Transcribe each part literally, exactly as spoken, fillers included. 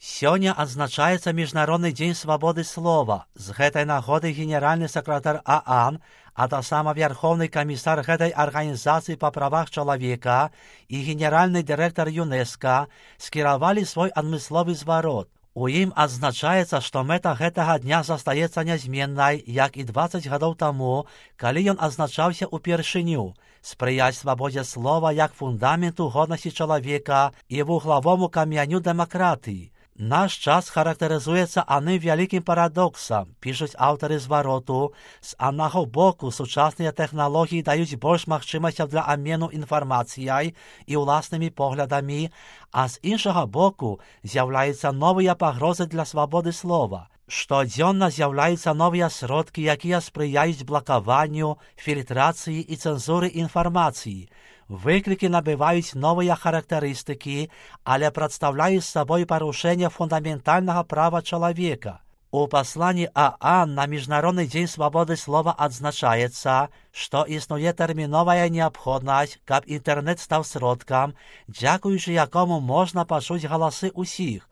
Сёння адзначаецца Міжнародны дзень свабоды слова. З гэтай нагоды генеральны сакратар ААН, а таксама вярхоўны камісар гэтай арганізацыі па правах чалавека і генеральны дырэктар ЮНЕСКА скіравалі свой адмысловы зварот. У ім адзначаецца, што мэта гэтага дня застаецца нязменнай, як і дваццаць гадоў таму, калі ён адзначаўся ўпершыню, спрыяць свабодзе слова як фундаменту годнасці чалавека і вуглавому камяню дэмакратыі. Наш час характарызуецца аным вялікім парадоксам, пішуць аўтары звароту. З аднаго боку, сучасныя тэхналогіі даюць больш магчымасцяў для абмену інфармацыяй і ўласнымі поглядамі, а з іншага боку з'яўляюцца новыя пагрозы для свабоды слова. Штодзённа з'яўляюцца новыя сродкі, якія спрыяюць блакаванню, фільтрацыі і цэнзуры інфармацыі. Выклікі набываюць новыя характарыстыкі, але прадстаўляюць сабой парушэнне фундаментальнага права чалавека. У пасланні ААН на Міжнародны дзень свабоды слова адзначаецца, што існуе тэрміновая неабходнасць, каб інтэрнэт стаў сродкам, дзякуючы якому можна пачуць галасы ўсіх.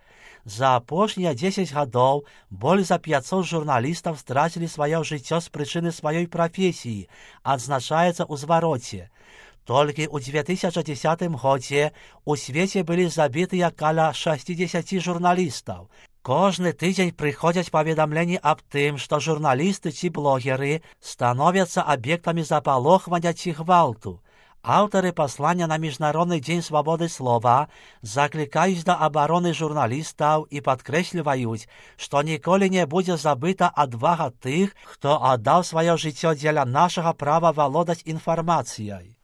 За апошнія дзесяць гадоў больш за пяцьсот журналістаў страцілі сваё жыццё з прычыны сваёй прафесіі, адзначаецца ў звароце. Толькі ў дзве тысячы дзесятым годзе у свеце былі забітыя каля шэсцьдзесят журналістаў. Кожны тыдзень прыходзяць паведамленні аб тым, што журналісты ці блогеры становяцца аб'ектамі запалохвання ці гвалту. Аўтары паслання на Міжнародны дзень свабоды слова заклікаюць да абароны журналістаў і падкрэсліваюць, што ніколі не будзе забыта адвага тых, хто аддаў сваё жыццё дзеля нашага права валодаць інфармацыяй.